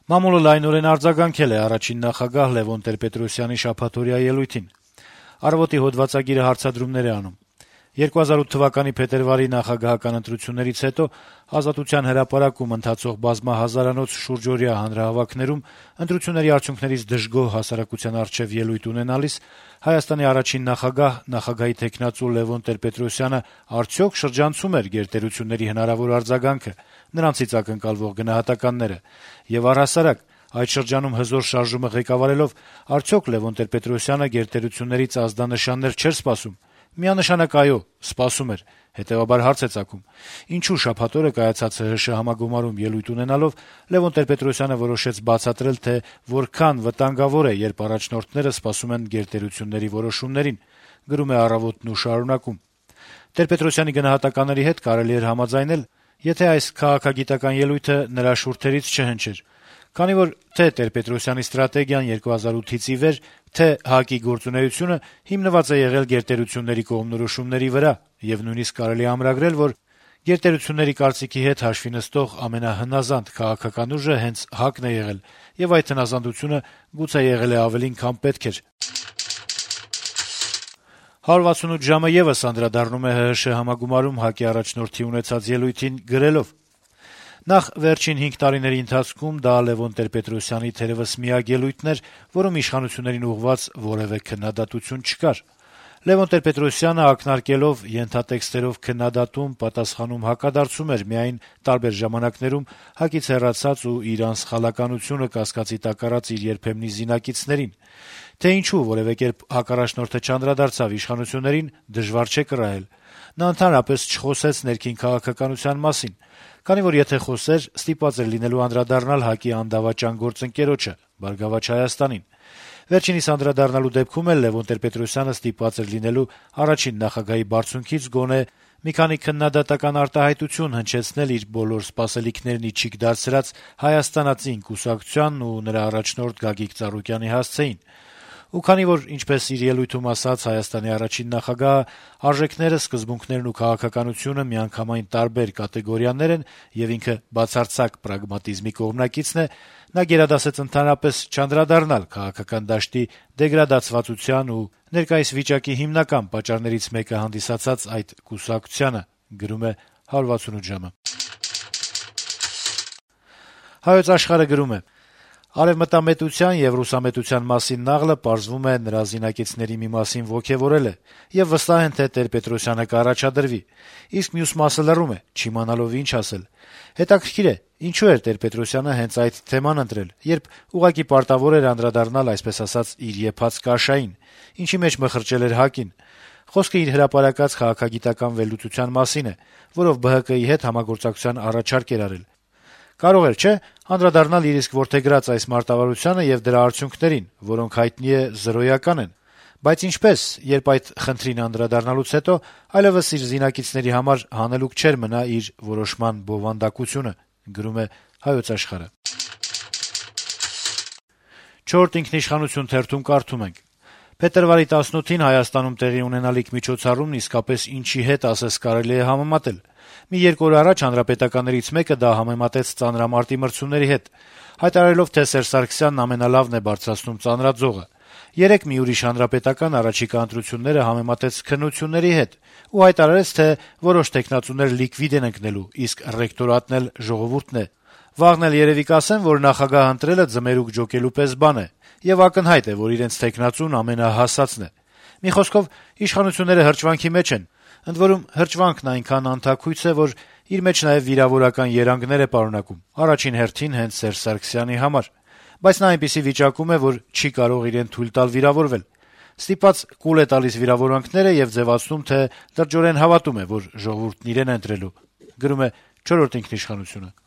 Մամուլը լայնորեն արձագանքել է առաջին նախագահ Լեւոն Տեր-Պետրոսյանի շաբաթօրյա ելույթին։ «Առավոտ»-ի հոդվածագիրը հարցադրումներ է անում. 2008 թվականի փետրվարի նախագահական ընտրություններից հետո Ազատության հրապարակում ընթացող բազմահազարանոց շուրջօրյա հանրահավաքներում ընտրությունների արդյունքներից դժգոհ հասարակության առջեւ ելույթ ունենալիս Հայաստանի առաջին նախագահ, նախագահի թեկնածու Լեւոն Տեր-Պետրոսյանը արդյոք շրջանցում էր գերտերությունների հնարավոր արձագանքը, նրանցից ակնկալվող գնահատականները, եւ առհասարակ այդ շրջանում հզոր շարժումը ղեկավարելով արդյոք Լեւոն Տեր-Պետրոսյանը գերտերություններից ազդանշաններ չէր սպասում։ Միանշանակ այո, սպասում էր, հետեւաբար հարց է ծագում. ինչու շաբաթ օրը կայացած ՀՀՇ համագումարում ելույթ ունենալով Լեւոն Տեր-Պետրոսյանը որոշեց բացատրել, թե որքան վտանգավոր է, երբ առաջնորդները սպասում են գերտերությունների որոշումներին, գրում է «Առավոտն» ու շարունակում. Տեր-Պետրոսյանի գնահատականների հետ կարելի էր համաձայնել, եթե այս քաղաքագիտական ելույթը նրա շուրթերից չհնչեր, քանի որ թե Տեր-Պետրոսյանի ստրատեգիան 2008-ից ի վեր, թե ՀԱԿ-ի գործունեությունը հիմնված է եղել գերտերությունների կողմնորոշումների վրա, եւ նույնիսկ կարելի է ամրագրել, որ գերտերությունների կարծիքի հետ հաշվի նստող ամենահնազանդ քաղաքական ուժը հենց ՀԱԿ-ն է եղել, եւ այդ հնազանդությունը գուցե եղել է ավելին, քան պետք էր։ 168 ժամը եւս անդրադառնում է ՀՀՇ համագումարում ՀԱԿ-ի առաջնորդի ունեցած ելույթին գրելով. Նախ վերջին 5 տարիների ընթացքում դա Լեւոն Տեր-Պետրոսյանի թերեւս միակ ելույթն էր, որում իշխանություններին ուղղված որեւէ քննադատություն չկար։ Լեւոն Տեր-Պետրոսյանը ակնարկելով ենթատեքստերով քննադատում, պատասխանում հակադարձում էր միայն տարբեր ժամանակներում ՀԱԿ-ից հեռացած ու իր անսխալականությունը կասկածի տակ առած իր երբեմնի զինակիցներին։ Թե ինչու որեւէ կերպ հակառաջնորդը չանդրադարձավ իշխանություններին, դժվար չէ կռահել։ Նա ընդհանրապես չխոսեց ներքին քաղաքականության մասին, քանի որ եթե խոսեր, ստիպված էր լինելու անդրադառնալ ՀԱԿ-ի անդավաճան գործընկերոջը՝ «Բարգավաճ Հայաստանին»։ Վերջինիս անդրադառնալու դեպքում էլ Լեւոն Տեր-Պետրոսյանը ստիպված էր լինելու առաջին նախագահի բարձունքից գոնե մի քանի քննադատական արտահայտություն հնչեցնել իր բոլոր սպասելիքներն ի չիք դարձրած Հայաստանացին կուսակցությանն ու նրա առաջնորդ Գագիկ Ծառուկյանի հասցեին։ Ու քանի որ, ինչպես իր ելույթում ասաց Հայաստանի առաջին նախագահը, արժեքները, սկզբունքներն ու քաղաքականությունը միանգամայն տարբեր կատեգորիաներ են եւ ինքը բացարձակ պրագմատիզմի կողմնակիցն է, նա գերադասեց ընդհանրապես չանդրադառնալ քաղաքական դաշտի դեգրադացվածության ու ներկայիս վիճակի հիմնական պատճառներից մեկը հանդիսացած այդ կուսակցությանը, գրում է 168 ժամը։ Հայոց Աշխարհը գրում է. Արեւմտամետության եւ ռուսամետության մասին նաղլը պարզվում է նրա զինակիցների մի մասին ոգեւորել է եւ վստահ են, թե Տեր-Պետրոսյանը կառաջադրվի, իսկ մյուս մասը լռում է, չիմանալով ինչ ասել։ Հետաքրքիր է, ինչու էր Տեր-Պետրոսյանը հենց այդ թեման ընտրել, երբ ուղղակի պարտավոր էր անդրադառնալ, այսպես ասած, իր եփած կաշային, ինչի մեջ մխրճել էր ՀԱԿ-ին։ Խոսքը իր հրապարակած քաղաքագիտական վերլուծության մասին է, որով ԲՀԿ-ի հետ համագործակցության առաջարկ էր արել։ Կարող էր, չէ՞, անդրադառնալ իր իսկ որդեգրած այս մարտավարությանը եւ դրա արդյունքներին, որոնք հայտնի է զրոյական են։ Բայց ինչպես, երբ այդ խնդրին անդրադառնալուց հետո այլեւս իր զինակիցների համար հանելուկ չէր մնա իր որոշման բովանդակությունը, գրում է Հայոց Աշխարհը։ 4 ինքնիշխանություն թերթում կարդում ենք. Փետրվարի 18-ին Հայաստանում տեղի ունենալիք միջոցառումն իսկապես ինչի հետ ասես կարելի է համեմատել։ Մի 2 օր առաջ հանրապետականներից մեկը դա համեմատեց ծանրամարտի մրցումների հետ, հայտարարելով, թե Սերժ Սարգսյանն ամենալավն է բարձրացնում ծանրաձողը։ Երեկ մի ուրիշ հանրապետական առաջիկա ընտրությունները համեմատեց քննությունների հետ ու հայտարարեց, թե որոշ տեխնացուներ լիկվիդ են ընկնելու, իսկ ռեկտորատն էլ ժողովուրդն է։ Վաղն էլ երևի կասեն, որ նախագահ ընտրելը ձմերուկ ջոկելու պես բան է, եւ ակնհայտ է, որ իրենց տեխնացուն ամենահասածն է։ Մի խոսքով, իշխանությունները հրճվանքի մեջ են, ընդ որում հրճվանքն այնքան անթաքույց է, որ իր մեջ նաեւ վիրավորական երանգներ է պարունակում, առաջին հերթին հենց Սերժ Սարգսյանի համար, բայց նա այնպիսի վիճակում է, որ չի կարող իրեն թույլ տալ վիրավորվել։ Ստիպած կուլ է տալիս վիրավորանքները եւ ձեւացնում, թե լրջորեն հավատում է, որ ժողովուրդն իրեն է ընտրելու, գրում է 4 ինքնիշխանությունը։